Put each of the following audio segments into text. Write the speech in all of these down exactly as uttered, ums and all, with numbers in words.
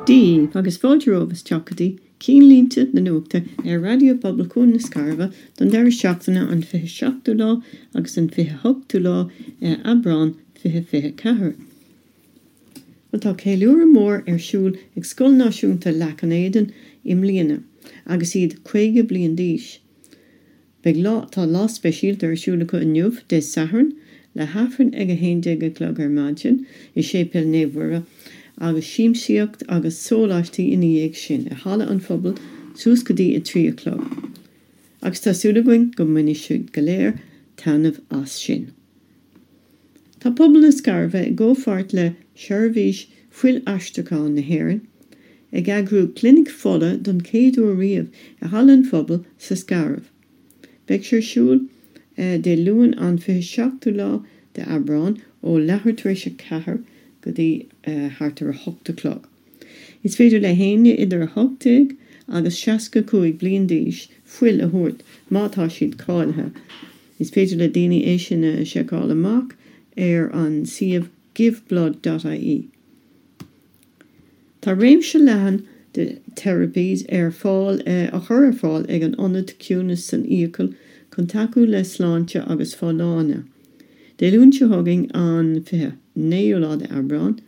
Dia daoibh agus fáilte romhaibh isteach go dtí Cinnlínte na Nuachta ar Raidió Pobail Chuan na Scairbhe don deireadh seachtaine an fiche seachtú lá agus an fiche hochtú lá Aibreán fiche fiche ceathair. Well tá ceiliúradh mór ar siúl ag Scoil Náisiúnta Leac an Éadain i mbliana agus iad caoga bliain d'aois. Beidh lá tá lá speisialta ar siúl acu inniu Dé Sathairn le hAifreann ag a haon déag a chlog ar maidin i Séipéal Naomh Mhuire agus siamsaíocht agus sóláistí ina dhiaidh sin i Halla an Phobail suas go dtí a trí a chlog. Agus tá súil againn go mbainfidh siad go léir taitneamh as sin. Tá pobal na Scairbhe i gcomhpháirt le Seirbhís Fuil-aistriúcháin na hÉireann ag eagrú clinic fola don chéad uair riamh i Halla an Phobail sa Scairbh. Beidh sé ar siúl Dé Luain an fiche seachtú lá de Aibreán ó leathuair tar éis a ceathair go dtí thart ar a hocht a chlog. Is féidir le héinne idir a hocht déag agus seasca cúig bliain d'aois fuil a thabhairt má tá siad cáilithe. Is féidir le daoine é sin a sheiceáil amach ar an suíomh giveblood.ie. Tá réimse leathan de therapies ar fáil á chur ar fáil ag an Ionad Ciúnas san Fhiacail chun tacú le sláinte agus folláine. Dé Luain seo chugainn an fiche naoú lá de Aibreán,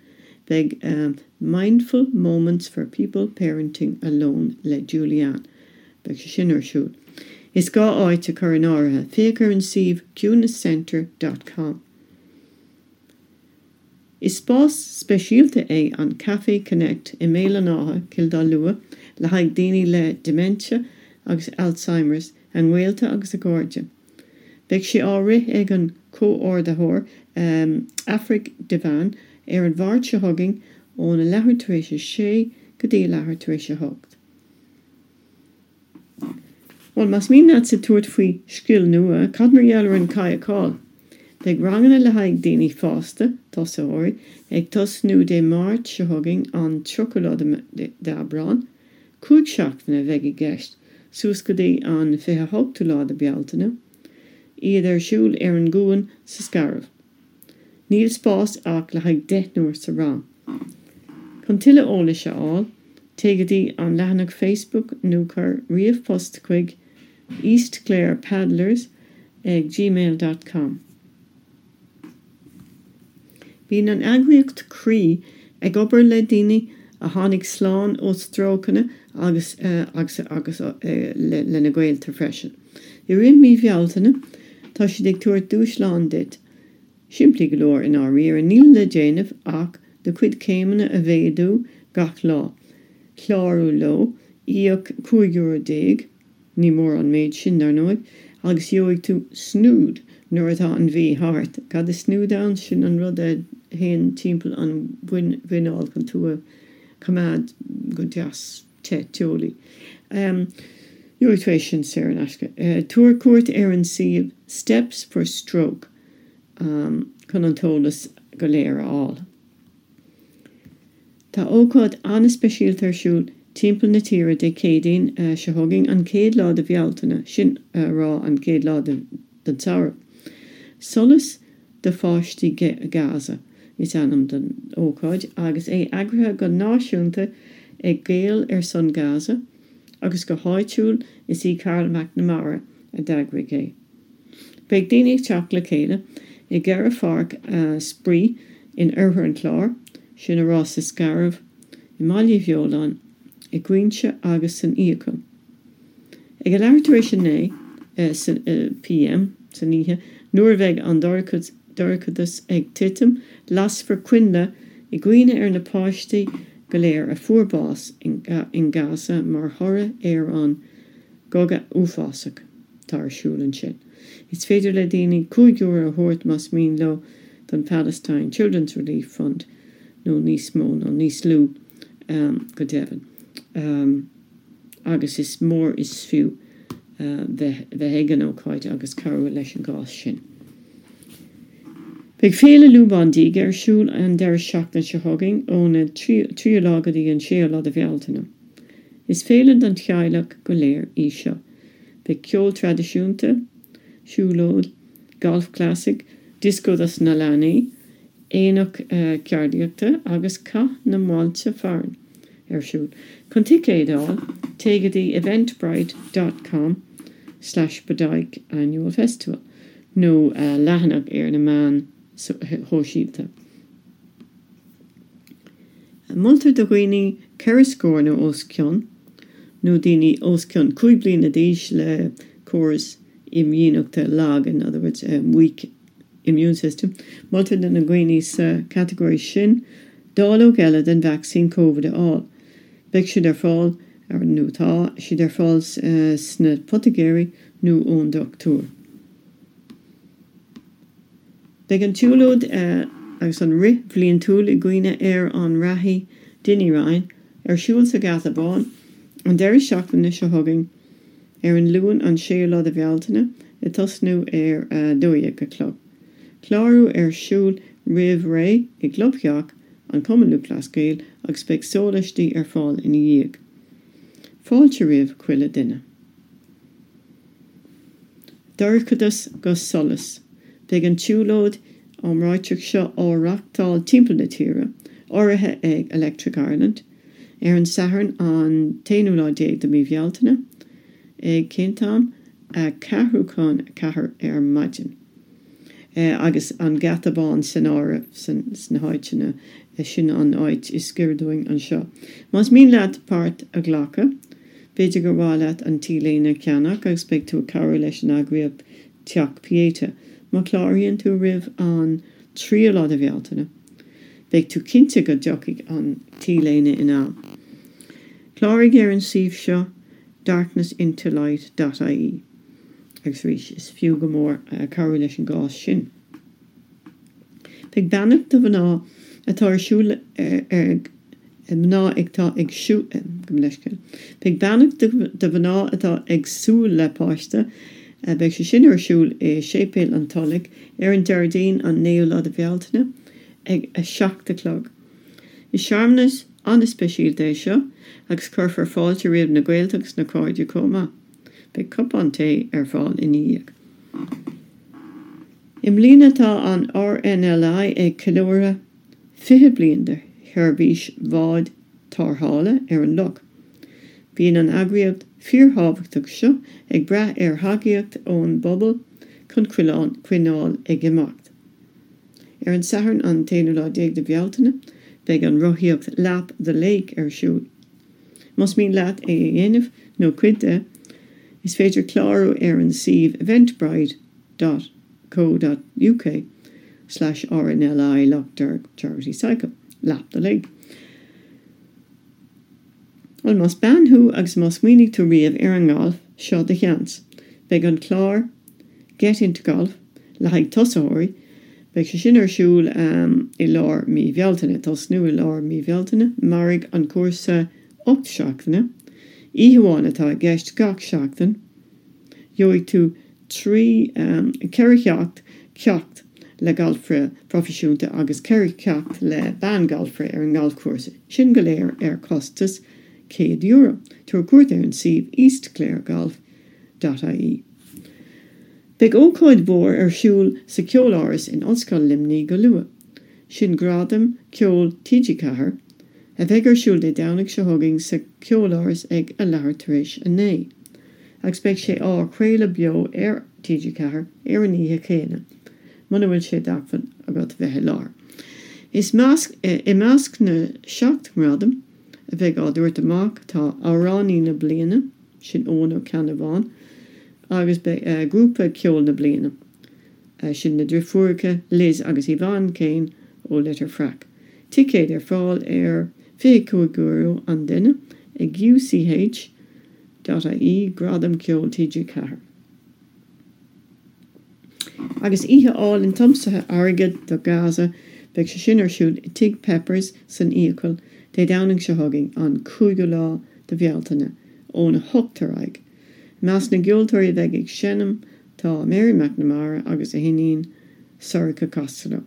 beidh Mindful Moments for People Parenting Alone le Julianne. Beidh sé sin ar siúl. Is gá áit a chur in áirithe, féach ar an suíomh ciúnascentre.com. Is spás speisialta é an Café Connect i mBéal an Átha, Cill Dá Lua, le haghaidh daoine le dementia agus Alzheimer's, a ngaolta agus a gcairde. Beidh sé á rith ag an comhordaitheoir Aifric Devane ar an Mháirt seo chugainn óna leathuair tar éis a sé go dtí a leathuair tar éis a hocht. Bhuel, más mian leatsa tabhairt faoi scil nua, cad mar gheall ar an cadhcáil? Beidh ranganna le haghaidh daoine fásta, tosaitheoirí, ag tosnú Dé Máirt seo chugainn an tríochadú lá d'Aibreán, cúig seachtaine a bheidh i gceist, suas go dtí an fiche hochtú lá de Bealtaine, iad ar siúl ar an gcuan sa Scairbh. Níl spás ach le haghaidh deichniúr sa rang. Chun tuilleadh eolais a fháil, téigh go dtí an leathanach Facebook nó cuir ríomhphost chuig eastclarepaddlers ag gmail.com. Bíonn an eagraíocht Croí ag obair le daoine a tháinig slán ó strócanna agus agus agus lena gaolta freisin. I rith mí Bhealtaine tá siad ag tabhairt dúshlán duit, simplí go leor i ndáiríre níl le déanamh ach do chuid céimeanna a mhéadú gach lá. Clárú leo, íoc cúig euro déag, ní mór an méid sin dar ndóigh, agus gheobhaidh tú snood nuair atá an mhí thart. Cad is snood ann sin an rud a théann timpeall an mhuineál chun tú a choimeád go deas te teolaí. Um, Gheobhaidh tú é sin saor in aisce. Uh, tabhair cuairt ar an suíomh Steps for Stroke um, chun an t-eolas go léir a fháil. Tá ócáid an-speisialta ar siúl timpeall na tíre Dé Céadaoin uh, seo chugainn an chéad lá de Bhealtaine sin uh, rá an chéad lá den samhradh. Solas do pháistí Gaza is ainm don ócáid agus é eagraithe go náisiúnta ag Gaeil ar son Gaza agus go háitiúil is í Carol McNamara a d'eagraigh é. Beidh daoine ag teacht le chéile i gceithre pháirc uh, spraoi in oirthear an Chláir, sin a rá sa Scairbh, i mBaile Bheoláin, i gCuinse agus san Fhiacail. Ag a leathuair tar éis a naoi uh, PM san oíche, nuair a bheidh an dorchadas ag titim, lasfar coinnle i gcuimhne ar na páistí go léir a fuair bás in, in Gaza mar thoradh ar an gcogadh uafásach atá ar siúl ansin. Is féidir le daoine cúig euro a thabhairt más mian leo don Palestine Children's Relief Fund nó níos mó nó níos lú um, go deimhin. Um, agus is mór is fiú uh, bheith ag an ócáid agus cabhrú leis an gcás sin. Beidh féile Lúbán Díge ar siúl an deireadh seachtaine seo chugainn óna tríú lá go dtí an séú lá de Bhealtaine. Is féile don teaghlach go léir í seo. Beidh ceol traidisiúnta, siúlóid, golf classic, disco dos na leanaí, aonach uh, ceardaíochta agus cath na mbailte fearainn ar siúl. Chun ticéid a fháil, téigh go dtí eventbrite dot com slash Bodyke Annual Festival nó leathanach ar na meáin shóisialta. Moltar do dhaoine ceithre scór nó os cionn, nó daoine os cionn cúig bliana d'aois le córas imdhíonachta lag, in other words, weak immune system, moltar do na daoine sa chatagóir sin dáileog eile den vacsaín Covid a fháil. Beidh siad ar fáil ar nó tá siad ar fáil sna poitigéirí nó ón dochtúir. Beidh an tsiúlóid agus an rith bhliantúil i gcuimhne ar an reathaí Dinny Ryan ar siúl sa Gheata Bán an deireadh seachtaine seo chugainn ar an Luan an séú lá de Bhealtaine ag tosnú ar a dó dhéag a chlog. Clárú ar siúl roimh ré i gclubtheach an Chumann Lúthchleas Gael agus beidh sólaistí ar fáil ina dhiaidh. Fáilte roimh chuile duine. Dorchadas go solas. Beidh an tsiúlóid iomráiteach seo á reáchtáil timpeall na tíre, urraithe ag Electric Ireland, ar an Satharn an t-aonú lá déag de mhí Bhealtaine, ag cén t-am? A ceathrú chun a ceathair ar maidin. Agus an Geata Bán san áireamh sna háiteanna, sin an áit is giorra dúinn anseo. Más mian leat páirt a ghlacadh, b'fhéidir gur mhaith leat an T-léine a cheannach agus beidh tú ag cabhrú leis an eagraíocht Teach Pieta. Má chláraíonn tú roimh an tríú lá de Bhealtaine, beidh tú cinnte go dtiocfaidh an T-léine in am. Cláraigh ar an suíomh seo darkness into light dot ie agus arís is fiú go mór cabhrú leis an gcás sin. Beidh beannacht do mhná atá ar siúl ag mná atá ag siúl gabh mo leithscéal. Beidh beannacht do mhná atá ag súil le páiste, beidh sé sin ar siúl i Séipéal an Tulaigh ar an Déardaoin an naoú lá de Bhealtaine ag a seacht a chlog. Is searmanas an-speisialta é seo agus cuirfear fáilte roimh na gaolta agus na cairde chomh maith. Beidh cupán tae ar fáil ina dhiaidh. I mbliana tá an RNLI ag ceiliúradh fiche bliain de sheirbhís bháid tarrthála ar an loch. Bíonn an eagraíocht fíorthábhachtach seo ag brath ar thacaíocht ón bpobal chun coinneáil ag imeacht. Ar an Satharn an t-aonú lá déag de Bhealtaine, beidh an rothaíocht Lap the Lake ar siúl. Más mian leat é a dhéanamh nó cuid de, is féidir clárú ar an suíomh eventbrite dot co dot uk slash RNLI Lough Derg Charity Cycle, Lap the Lake. Bhuel, más bean thú agus má smaoinigh tú riamh ar an ngalf, seo do sheans. Beidh an clár Get Into Golf le haghaidh tosaitheoirí, beidh sé sin ar siúl i lár mí Bhealtaine, tosnú i lár mí Bhealtaine, mairfidh an cúrsa ocht seachtaine, oíche amháin atá i gceist gach seachtain, gheobhaidh tú trí ceithre cheacht, ceacht le galfaire proifisiúnta agus ceithre cheacht le bean galfaire ar an ngalfchúrsa, sin go léir ar chostas céad euro. Tabhair cuairt ar an suíomh eastclaregolf dot ie. Beidh ócáid mhór ar siúl sa Cheoláras in Ollscoil Luimnigh go luath. Sin Gradam Ceoil TG Ceathair, a bheidh ar siúl Dé Domhnaigh seo chugainn sa Cheoláras ag a leathuair tar éis a naoi, agus beidh sé á chraoladh beo ar TG Ceathair ar an oíche chéanna, muna bhfuil sé d'acmhainn agat bheith i láthair. Is measc, I measc na seacht ngradam a bheidh á dtabhairt amach tá Amhránaí na Bliana, sin Eoin Ó Ceannabháin, agus beidh Grúpa Ceoil na Bliana, sin na driofúracha Liz agus Yvonne Kane ó Leitir Fraic. Ticéid ar fáil ar fiche cúig euro an duine ag UCH dot ie Gradam Ceoil TG Ceathair. Agus oíche álainn tiomsaithe airgid do Gaza, beidh sé sin ar siúl i Tigh Peppers san Fhiacail Dé Domhnaigh seo chugainn, an cúigiú lá de Bhealtaine, óna hocht ar aghaidh. I measc na gceoltóirí a bheidh ag seinm tá Mary McNamara agus a hiníon Sorcha Costello,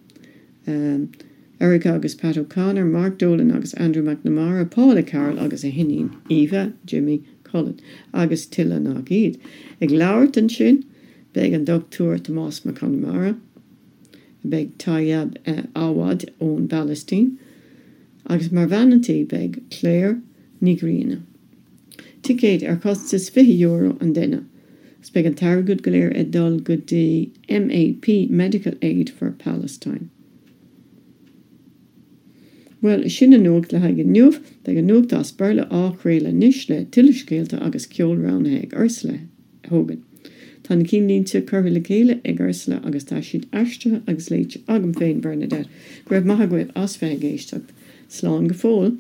Erica agus Pat O'Connor, Mark Dolan agus Andrew McNamara, Paula Carroll agus a hiníon Eva, Jimmy Cullen, agus tuilleadh nach iad. Ag labhairt ansin beidh an Dochtúir Tomás Mac Conamara, beidh Tayyab Awad ón bPalaistín, agus mar bhean an tí beidh Claire Ní Ghrianna. Ticéid ar chostas fiche euro an duine. 'S beidh an t-airgead go léir ag dul go dtí MAP Medical Aid for Palestine. Well sin an nuacht le haghaidh inniu, beidh an nuacht as Béarla á chraoladh anois le tuilleadh scéalta agus ceol roghnaithe ag Ursula Hogan. Tá na cinnlínte curtha le chéile ag Ursula agus tá siad aistrithe agus léite agam féin Bernadette, go raibh maith agaibh as bheith ag éisteacht. Slán go fóill.